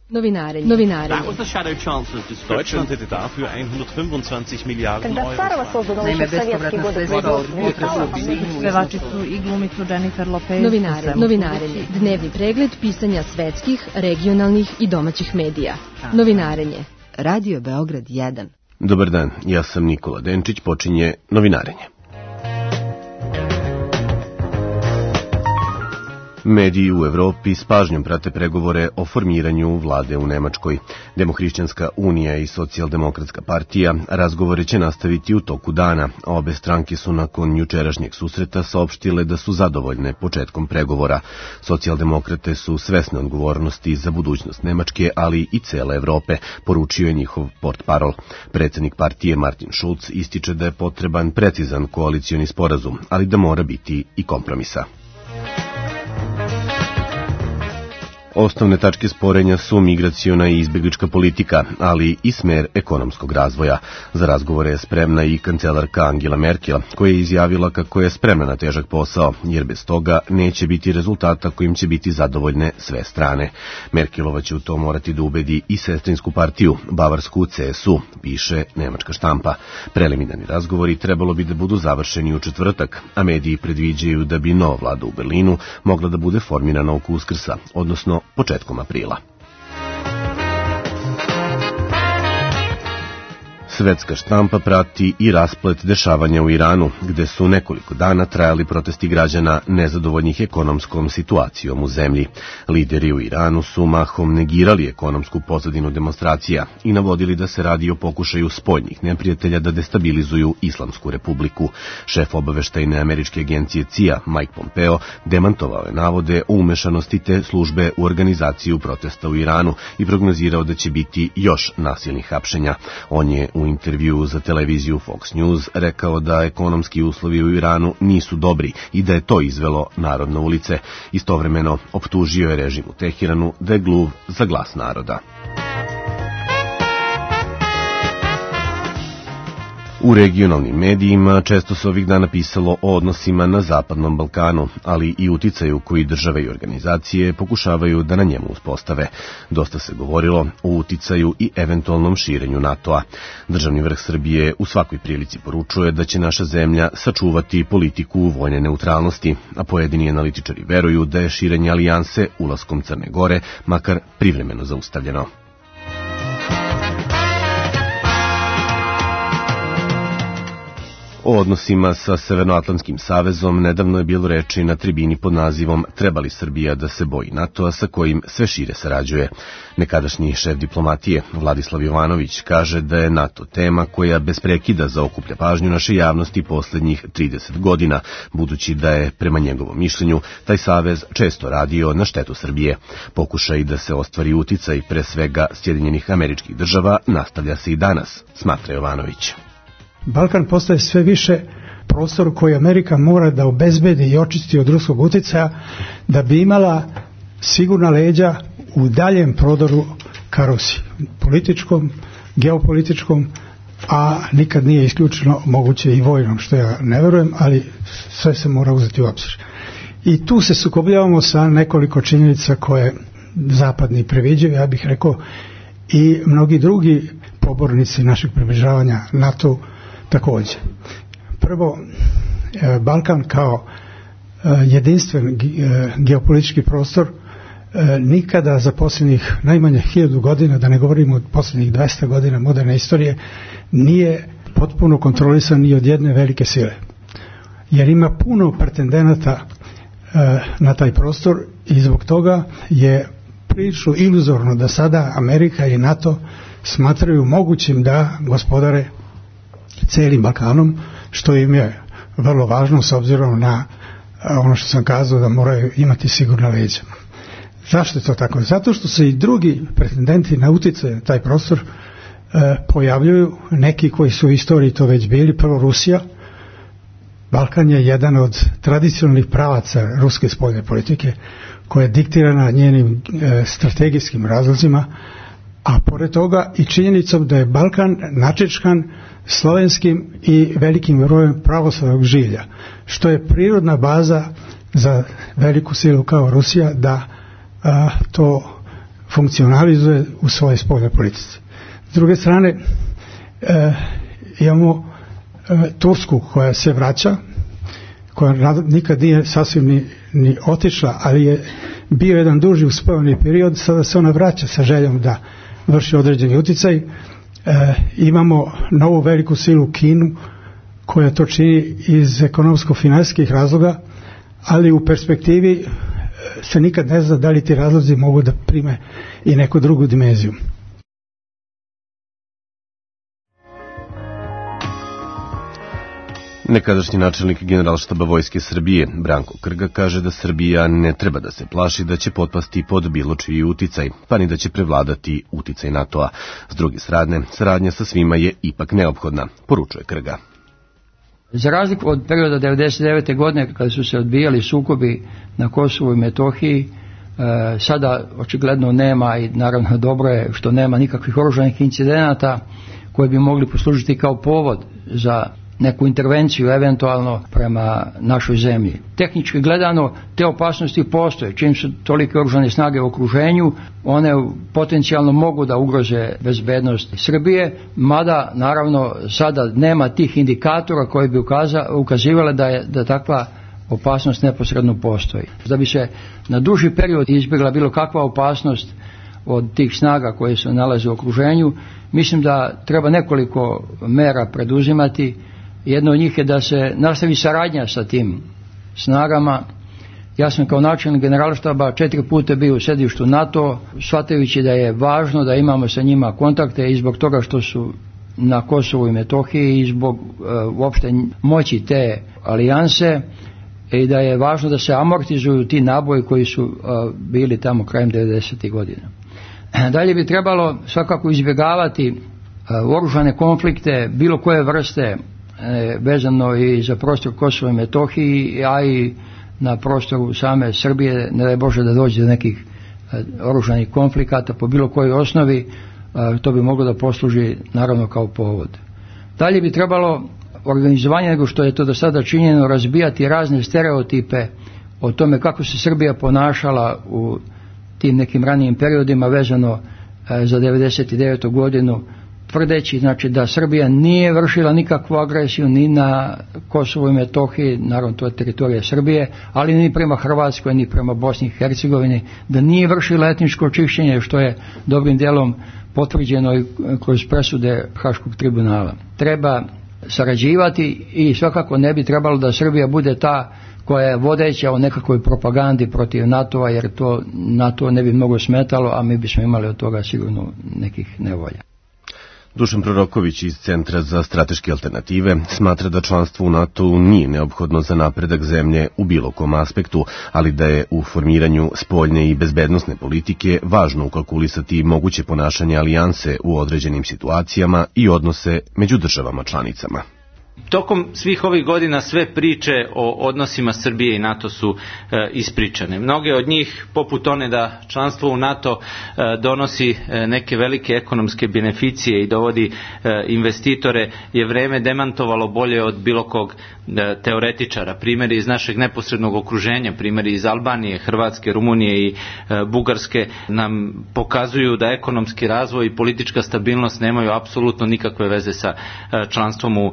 Novinarenje. Deutschland hätte dafür 125 Miliarden Euro. Naime, bespovratna sredstva od pevačicu i glumicu Jennifer Lopez. Novinarenje. Dnevni pregled pisanja svetskih, regionalnih i domaćih medija. Novinarenje. Radio Beograd 1. Dobar dan, ja sam Nikola Denčić, počinje Novinarenje. Mediji u Evropi s pažnjom prate pregovore o formiranju vlade u Nemačkoj. Demohrišćanska unija i socijaldemokratska partija razgovore će nastaviti u toku dana. Obe stranke su nakon jučerašnjeg susreta saopštile da su zadovoljne početkom pregovora. Socijaldemokrate su svesne odgovornosti za budućnost Nemačke, ali i cele Evrope, poručio je njihov portparol. Predsednik partije Martin Schulz ističe da je potreban precizan koalicioni sporazum, ali da mora biti i kompromisa. Osnovne tačke sporenja su migraciona i izbjeglička politika, ali i smer ekonomskog razvoja. Za razgovore je spremna i kancelarka Angela Merkel, koja je izjavila kako je spremna na težak posao, jer bez toga neće biti rezultata kojim će biti zadovoljne sve strane. Merkelova će u to morati da ubedi i sestrinsku partiju, bavarsku CSU, piše nemačka štampa. Preliminarni razgovori trebalo bi da budu završeni u četvrtak, a mediji predviđaju da bi nova vlada u Berlinu mogla da bude formirana oko Uskrsa, odnosno početkom aprila. Svetska štampa prati i rasplet dešavanja u Iranu, gde su nekoliko dana trajali protesti građana nezadovoljnih ekonomskom situacijom u zemlji. Lideri u Iranu su mahom negirali ekonomsku pozadinu demonstracija i navodili da se radi o pokušaju spoljnih neprijatelja da destabilizuju Islamsku republiku. Šef obaveštajne američke agencije CIA, Mike Pompeo, demantovao je navode o umešanosti te službe u organizaciju protesta u Iranu i prognozirao da će biti još nasilnih hapšenja. On je u intervjuu za televiziju Fox News rekao da ekonomski uslovi u Iranu nisu dobri i da je to izvelo narod na ulice. Istovremeno optužio je režim u Teheranu da je gluv za glas naroda. U regionalnim medijima često se ovih dana pisalo o odnosima na Zapadnom Balkanu, ali i uticaju koji države i organizacije pokušavaju da na njemu uspostave. Dosta se govorilo o uticaju i eventualnom širenju NATO-a. Državni vrh Srbije u svakoj prilici poručuje da će naša zemlja sačuvati politiku vojne neutralnosti, a pojedini analitičari veruju da je širenje alijanse ulaskom Crne Gore makar privremeno zaustavljeno. O odnosima sa Severnoatlantskim savezom nedavno je bilo reči na tribini pod nazivom "Treba li Srbija da se boji NATO-a sa kojim sve šire sarađuje?" Nekadašnji šef diplomatije Vladislav Jovanović kaže da je NATO tema koja bez prekida zaokuplja pažnju naše javnosti poslednjih 30 godina, budući da je, prema njegovom mišljenju, taj savez često radio na štetu Srbije. Pokušaj da se ostvari uticaj pre svega Sjedinjenih Američkih Država nastavlja se i danas, smatra Jovanović. Balkan postaje sve više prostor koji Amerika mora da obezbedi i očisti od ruskog uticaja da bi imala sigurna leđa u daljem prodoru ka Rusiji, političkom, geopolitičkom, a nikad nije isključeno moguće i vojnom, što ja ne verujem, ali sve se mora uzeti u obzir. I tu se sukobljavamo sa nekoliko činjenica koje zapadni previđaju, ja bih rekao, i mnogi drugi pobornici našeg približavanja NATO također. Prvo, Balkan kao jedinstven geopolitički prostor nikada za posljednjih najmanje 1000 godina, da ne govorimo od posljednjih 200 godina moderne istorije, nije potpuno kontrolisan ni od jedne velike sile. Jer ima puno pretendenata na taj prostor i zbog toga je prilično iluzorno da sada Amerika i NATO smatraju mogućim da gospodare celim Balkanom, što im je vrlo važno s obzirom na ono što sam kazao da moraju imati sigurna leđa. Zašto je to tako? Zato što se i drugi pretendenti na utjecaj na taj prostor pojavljuju, neki koji su u istoriji to već bili. Prvo Rusija. Balkan je jedan od tradicionalnih pravaca ruske spoljne politike koja je diktirana njenim strategijskim razlozima, a pored toga i činjenicom da je Balkan načečkan slovenskim i velikim brojem pravoslavnog žilja, što je prirodna baza za veliku silu kao Rusija da to funkcionalizuje u svojoj spoljnoj politici. S druge strane, imamo Tursku koja se vraća, koja nikad nije sasvim ni otišla, ali je bio jedan duži uspojeni period, sada se ona vraća sa željom da vrši određeni utjecaj. Imamo novu veliku silu Kinu koja to čini iz ekonomsko-financijskih razloga, ali u perspektivi se nikad ne zna da li ti razlozi mogu da prime i neku drugu dimenziju. Nekadašnji načelnik Generalštaba Vojske Srbije, Branko Krga, kaže da Srbija ne treba da se plaši da će potpasti pod bilo čiji uticaj, pa ni da će prevladati uticaj NATO-a. S druge strane, saradnja sa svima je ipak neophodna, poručuje Krga. Za razliku od perioda 1999. godine kada su se odbijali sukobi na Kosovu i Metohiji, sada očigledno nema, i naravno dobro je što nema nikakvih oružanih incidenata koji bi mogli poslužiti kao povod za neku intervenciju eventualno prema našoj zemlji. Tehnički gledano te opasnosti postoje. Čim su tolike oružane snage u okruženju, one potencijalno mogu da ugroze bezbednost Srbije, mada naravno sada nema tih indikatora koji bi ukazivale da takva opasnost neposredno postoji. Da bi se na duži period izbjegla bilo kakva opasnost od tih snaga koje se nalaze u okruženju, mislim da treba nekoliko mera preduzimati. Jedno od njih je da se nastavi saradnja sa tim snagama. Ja sam kao načelnik Generalštaba 4 puta bio u sedištu NATO, shvatajući da je važno da imamo sa njima kontakte i zbog toga što su na Kosovu i Metohiji i zbog uopšte moći te alijanse, i da je važno da se amortizuju ti naboji koji su bili tamo krajem 90. godina. Dalje bi trebalo svakako izbjegavati oružane konflikte bilo koje vrste, vezano i za prostor Kosova i Metohiji, a i na prostoru same Srbije, ne daj Bože da dođe do nekih oružanih konflikata po bilo kojoj osnovi, to bi moglo da posluži naravno kao povod. Dalje bi trebalo organizovanje, nego što je to do sada činjeno, razbijati razne stereotipe o tome kako se Srbija ponašala u tim nekim ranijim periodima vezano za 99. godinu, tvrdeći znači da Srbija nije vršila nikakvu agresiju ni na Kosovu i Metohiji, naravno to je teritorija Srbije, ali ni prema Hrvatskoj, ni prema Bosni i Hercegovini, da nije vršila etničko čišćenje, što je dobrim dijelom potvrđeno i kroz presude Haškog tribunala. Treba sarađivati i svakako ne bi trebalo da Srbija bude ta koja je vodeća u nekakvoj propagandi protiv NATO-a, jer to NATO ne bi mnogo smetalo, a mi bismo imali od toga sigurno nekih nevolja. Dušan Proroković iz Centra za strateške alternative smatra da članstvo u NATO-u nije neophodno za napredak zemlje u bilo kom aspektu, ali da je u formiranju spoljne i bezbednosne politike važno ukalkulisati moguće ponašanje alijanse u određenim situacijama i odnose među državama članicama. Tokom svih ovih godina sve priče o odnosima Srbije i NATO su ispričane. Mnoge od njih, poput one da članstvo u NATO donosi neke velike ekonomske beneficije i dovodi investitore, je vreme demantovalo bolje od bilo kog teoretičara. Primjeri iz našeg neposrednog okruženja, primjeri iz Albanije, Hrvatske, Rumunije i Bugarske nam pokazuju da ekonomski razvoj i politička stabilnost nemaju apsolutno nikakve veze sa članstvom u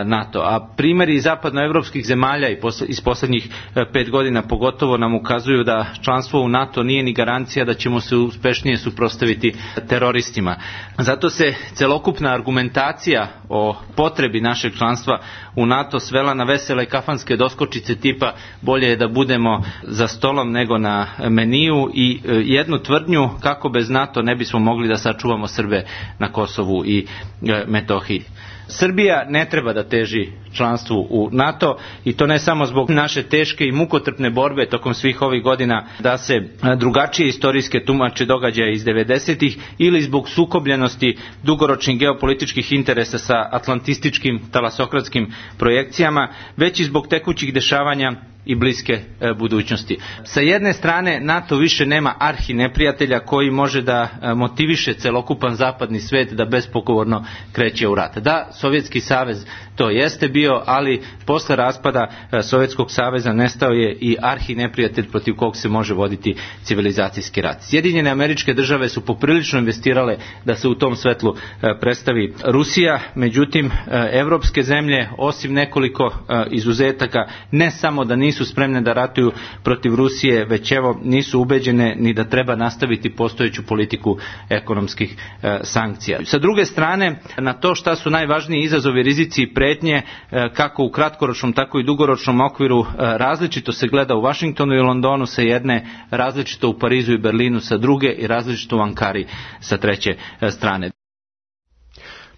NATO. A primjeri iz zapadnoevropskih zemalja iz posljednjih 5 godina pogotovo nam ukazuju da članstvo u NATO nije ni garancija da ćemo se uspešnije suprotstaviti teroristima. Zato se celokupna argumentacija o potrebi našeg članstva u NATO svela na vesele kafanske doskočice tipa bolje je da budemo za stolom nego na meniju i jednu tvrdnju kako bez NATO ne bismo mogli da sačuvamo Srbe na Kosovu i Metohiji. Srbija ne treba da teži članstvu u NATO i to ne samo zbog naše teške i mukotrpne borbe tokom svih ovih godina da se drugačije istorijske tumače događaja iz 90-ih ili zbog sukobljenosti dugoročnih geopolitičkih interesa sa atlantističkim talasokratskim projekcijama, već i zbog tekućih dešavanja i bliske budućnosti. Sa jedne strane, NATO više nema arhineprijatelja koji može da motiviše celokupan zapadni svet da bespogovorno kreće u rat. Da, Sovjetski savez to jeste bio, ali posle raspada Sovjetskog saveza nestao je i arhineprijatelj protiv kog se može voditi civilizacijski rat. Sjedinjene Američke Države su poprilično investirale da se u tom svetlu predstavi Rusija, međutim evropske zemlje, osim nekoliko izuzetaka, ne samo da nisu spremne da ratuju protiv Rusije, već evo nisu ubeđene ni da treba nastaviti postojeću politiku ekonomskih sankcija. Sa druge strane, na to šta su najvažniji izazovi, rizici i pretnje, kako u kratkoročnom, tako i dugoročnom okviru, različito se gleda u Vašingtonu i Londonu sa jedne, različito u Parizu i Berlinu sa druge i različito u Ankari sa treće strane.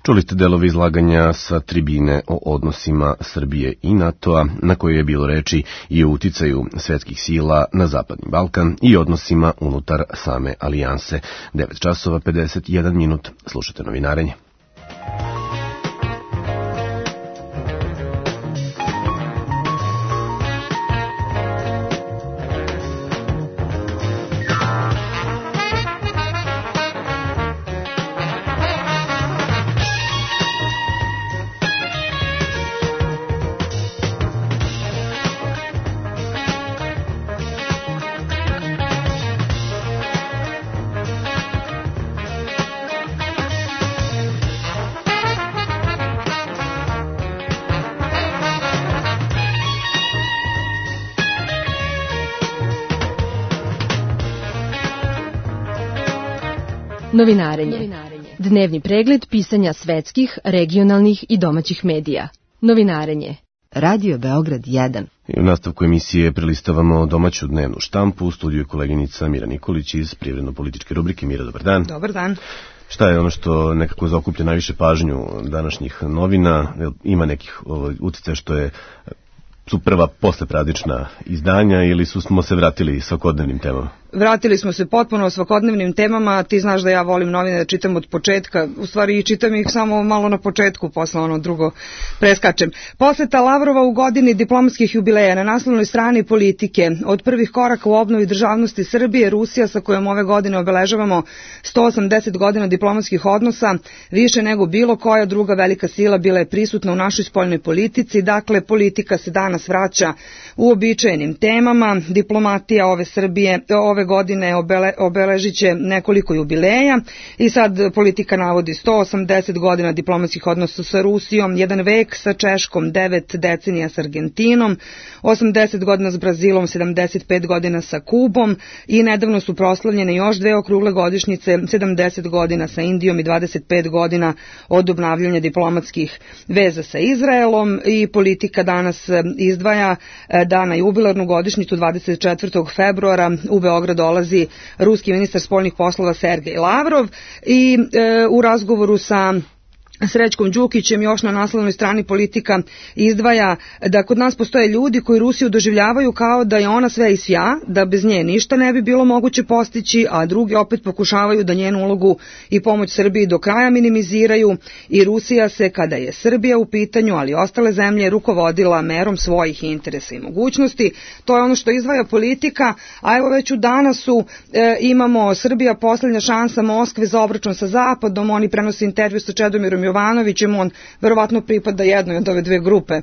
Čuli ste delovi izlaganja sa tribine o odnosima Srbije i NATO-a, na kojoj je bilo reči i o uticaju svetskih sila na Zapadni Balkan i odnosima unutar same alijanse. 9 časova 51 minut. Slušate novinarenje. Novinarenje. Dnevni pregled pisanja svetskih, regionalnih i domaćih medija. Novinarenje. Radio Beograd 1. I u nastavku emisije prelistavamo domaću dnevnu štampu. U studiju je koleginica Mira Nikolić iz privredno-političke rubrike. Mira, dobar dan. Dobar dan. Šta je ono što nekako zaokuplja najviše pažnju današnjih novina? Ima nekih uticaja što su prva poslepraznična izdanja ili smo se vratili svakodnevnim temama? Vratili smo se potpuno svakodnevnim temama. Ti znaš da ja volim novine da čitam od početka, u stvari i čitam ih samo malo na početku, posle ono drugo preskačem. Poseta Lavrova u godini diplomatskih jubileja na naslovnoj strani Politike. Od prvih koraka u obnovi državnosti Srbije, Rusija sa kojom ove godine obeležavamo 180 godina diplomatskih odnosa, više nego bilo koja druga velika sila bila je prisutna u našoj spoljnoj politici. Dakle, politika se danas vraća u običajenim temama. Diplomatija ove godine obeležit će nekoliko jubileja i sad Politika navodi 180 godina diplomatskih odnosa sa Rusijom, 1 vek sa Češkom, 9 decenija sa Argentinom, 80 godina s Brazilom, 75 godina sa Kubom i nedavno su proslavljene još 2 okrugle godišnjice, 70 godina sa Indijom i 25 godina od obnavljanja diplomatskih veza sa Izraelom. I Politika danas izdvaja da na jubilarnu godišnjicu 24. februara u Beograd dolazi ruski ministar spoljnih poslova Sergej Lavrov i u razgovoru sa Srećkom Đukićem još na naslovnoj strani Politika izdvaja da kod nas postoje ljudi koji Rusiju doživljavaju kao da je ona sve i svja, da bez nje ništa ne bi bilo moguće postići, a drugi opet pokušavaju da njenu ulogu i pomoć Srbiji do kraja minimiziraju i Rusija se, kada je Srbija u pitanju, ali i ostale zemlje, rukovodila merom svojih interesa i mogućnosti. To je ono što izdvaja Politika, a evo već u danasu imamo Srbija poslednja šansa Moskve za obračun sa Zapadom. Oni prenose intervju sa Čedomirom Jovanovićem, on verovatno pripada jednoj od ove 2 grupe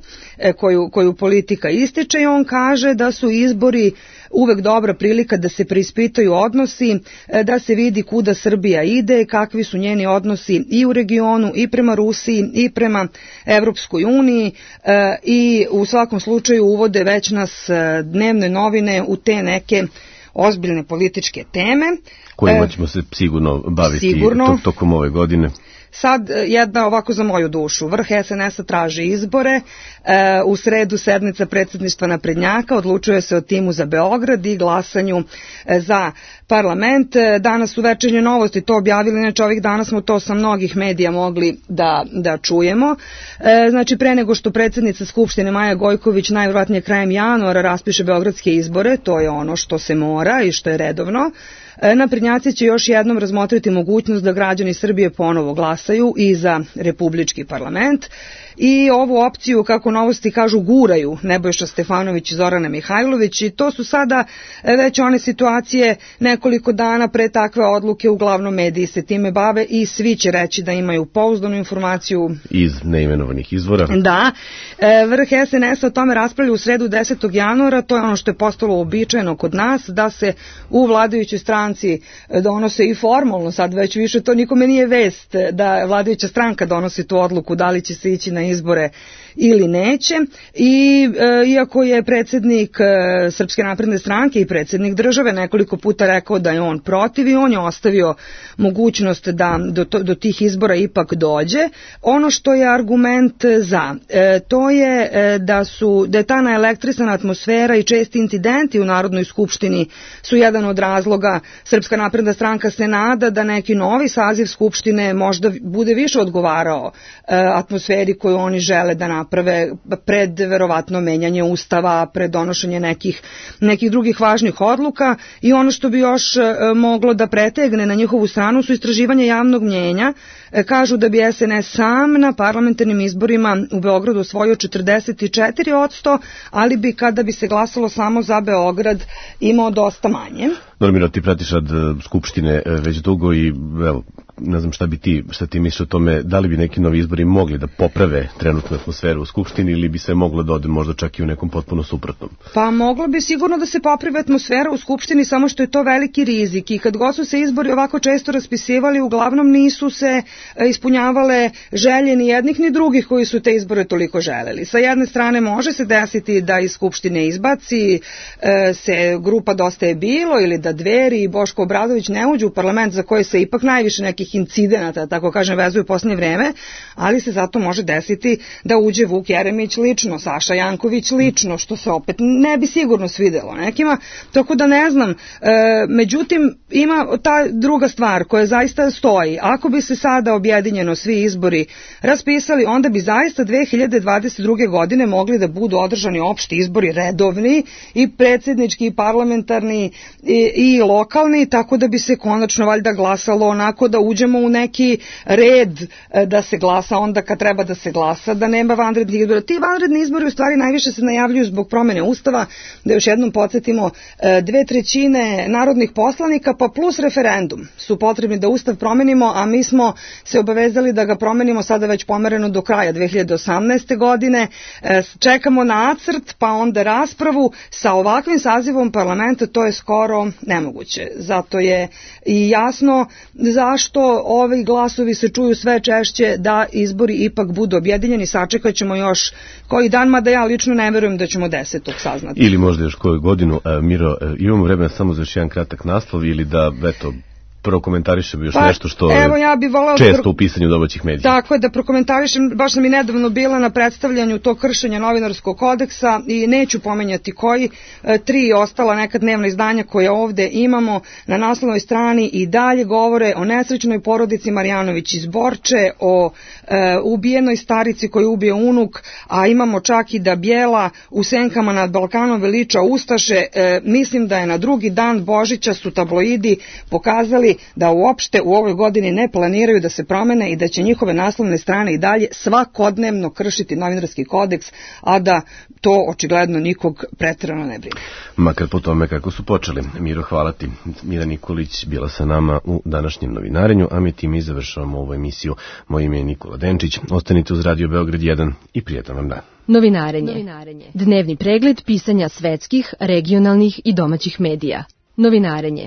koju Politika ističe i on kaže da su izbori uvek dobra prilika da se preispitaju odnosi, da se vidi kuda Srbija ide, kakvi su njeni odnosi i u regionu i prema Rusiji i prema Evropskoj uniji i u svakom slučaju uvode već nas dnevne novine u te neke ozbiljne političke teme. Kojima ćemo se sigurno baviti tokom ove godine. Sad jedna ovako za moju dušu. Vrh SNS-a traži izbore. U sredu sednica predsjedništva naprednjaka, odlučuje se o timu za Beograd i glasanju za parlament. Danas su Večernje novosti to objavili, inače ovih dana smo to sa mnogih medija mogli da čujemo. Znači, pre nego što predsjednica Skupštine Maja Gojković najvjerojatnije krajem januara raspiše beogradske izbore, to je ono što se mora i što je redovno, naprednjaci će još jednom razmotriti mogućnost da građani Srbije ponovo glasaju i za republički parlament. I ovu opciju, kako Novosti kažu, guraju Nebojša Stefanović i Zorana Mihajlović i to su sada već one situacije nekoliko dana pre takve odluke, uglavnom mediji se time bave i svi će reći da imaju pouzdanu informaciju iz neimenovanih izvora. Da, vrh SNS-a o tome raspravlja u sredu 10. januara, to je ono što je postalo uobičajeno kod nas, da se u vladajućoj stranci donose i formalno, sad već više to nikome nije vest da vladajuća stranka donosi tu odluku da li će se ići na izbore ili neće. I iako je predsjednik Srpske napredne stranke i predsjednik države nekoliko puta rekao da je on protiv i on je ostavio mogućnost da do tih izbora ipak dođe, ono što je argument za to je da je ta naelektrisana atmosfera i česti incidenti u Narodnoj skupštini su jedan od razloga. Srpska napredna stranka se nada da neki novi saziv skupštine možda bude više odgovarao atmosferi koju oni žele da naprave pred verovatno menjanje ustava, pred donošenje nekih drugih važnih odluka. I ono što bi još moglo da pretegne na njihovu stranu su istraživanje javnog mnjenja. Kažu da bi SNS sam na parlamentarnim izborima u Beogradu osvojio 44%, ali bi kada bi se glasalo samo za Beograd imao dosta manje. Normiro, ti pratiš rad Skupštine već dugo i evo, ne znam šta ti misliš o tome, da li bi neki novi izbori mogli da poprave trenutnu atmosferu u Skupštini ili bi se moglo da ode možda čak i u nekom potpuno suprotnom? Pa moglo bi sigurno da se popravi atmosfera u Skupštini, samo što je to veliki rizik i kad god su se izbori ovako često raspisivali, uglavnom nisu se ispunjavale želje ni jednih ni drugih koji su te izbore toliko želeli. Sa jedne strane može se desiti da iz Skupštine izbaci se grupa Dosta je bilo ili da Dveri i Boško Obradović ne uđu u parlament za koje se ipak najviše nekih incidenata, tako kažem, vezuju u posljednje vreme, ali se zato može desiti da uđe Vuk Jeremić lično, Saša Janković lično, što se opet ne bi sigurno svidelo nekima, tako da ne znam. Međutim, ima ta druga stvar koja zaista stoji. Ako bi se sada objedinjeno svi izbori raspisali, onda bi zaista 2022. godine mogli da budu održani opšti izbori redovni i predsjednički i parlamentarni i lokalni, tako da bi se konačno valjda glasalo onako da uđemo u neki red da se glasa onda kad treba da se glasa, da nema vanrednih izbora. Ti vanredni izbori u stvari najviše se najavljuju zbog promene Ustava, da još jednom podsjetimo, 2/3 narodnih poslanika pa plus referendum su potrebni da Ustav promenimo, a mi smo se obavezali da ga promenimo sada već pomereno do kraja 2018. godine. Čekamo nacrt pa onda raspravu. Sa ovakvim sazivom parlamenta to je skoro nemoguće. Zato je i jasno zašto ovi glasovi se čuju sve češće da izbori ipak budu objedinjeni. Sačekat ćemo još koji dan, mada ja lično ne verujem da ćemo 10. saznati. Ili možda još koju godinu. Miro, imamo vremena samo za još jedan kratak naslov ili da, eto, prokomentarišem još nešto što je često u pisanju domaćih medija. Tako je, da prokomentarišem, baš sam i nedavno bila na predstavljanju tog kršenja novinarskog kodeksa i neću pomenjati koji, 3 ostala neka dnevna izdanja koje ovde imamo na naslovnoj strani i dalje govore o nesrećnoj porodici Marjanović iz Borče, o ubijenoj starici koju ubije unuk, a imamo čak i da Bijela u senkama nad Balkanom veliča ustaše. Mislim da je na drugi dan Božića su tabloidi pokazali da uopšte u ovoj godini ne planiraju da se promene i da će njihove naslovne strane i dalje svakodnevno kršiti novinarski kodeks, a da to očigledno nikog preterano ne brine. Makar po tome kako su počeli. Miro, hvala ti. Mira Nikolić bila sa nama u današnjem novinarenju, a mi time završavamo ovu emisiju. Moje ime je Nikola Denčić. Ostanite uz Radio Beograd 1 i prijetan vam dan. Novinarenje. Dnevni pregled pisanja svetskih, regionalnih i domaćih medija. Novinarenje.